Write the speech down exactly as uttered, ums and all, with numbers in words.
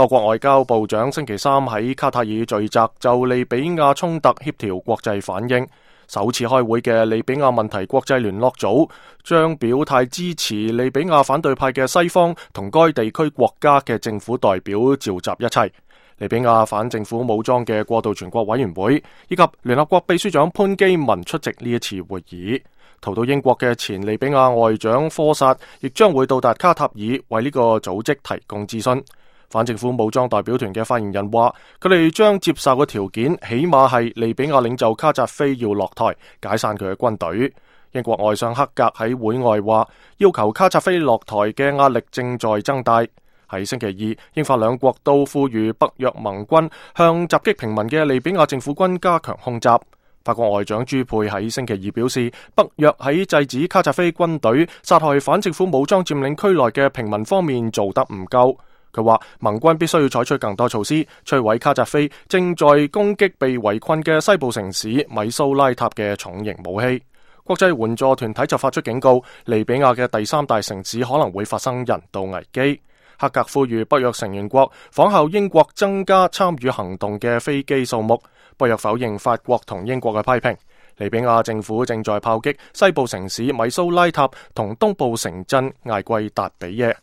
多國外交部長星期三喺卡塔爾聚集，就利比亞衝突協調國際反應。首次開會嘅利比亞問題國際聯絡組將表態支持利比亞反對派嘅西方同該地區國家嘅政府代表召集一齊。利比亞反政府武裝嘅過渡全國委員會以及聯合國秘書長潘基文出席呢一次會議。逃到英國嘅前利比亞外長科薩亦將會到達卡塔爾，為呢個組織提供諮詢。反政府武裝代表團嘅發言人話，佢哋將接受嘅條件起碼係利比亞領袖卡扎菲要落台，解散佢嘅軍隊。英國外相克格喺會外話，要求卡扎菲落台嘅壓力正在增大。喺星期二，英法兩國都呼籲北約盟軍向襲擊平民嘅利比亞政府軍加強空襲。法國外長朱佩喺星期二表示，北約喺制止卡扎菲軍隊殺害反政府武裝佔領區內嘅平民方面做得唔夠。佢話盟軍必須要採取更多措施，摧毀卡扎菲正在攻擊被圍困嘅西部城市米蘇拉塔嘅重型武器。國際援助團體就發出警告，利比亞嘅第三大城市可能會發生人道危機。克格呼籲北約成員國仿效英國增加參與行動嘅飛機數目。北約否認法國同英國嘅批評。利比亞政府正在炮擊西部城市米蘇拉塔同東部城鎮艾季達比耶。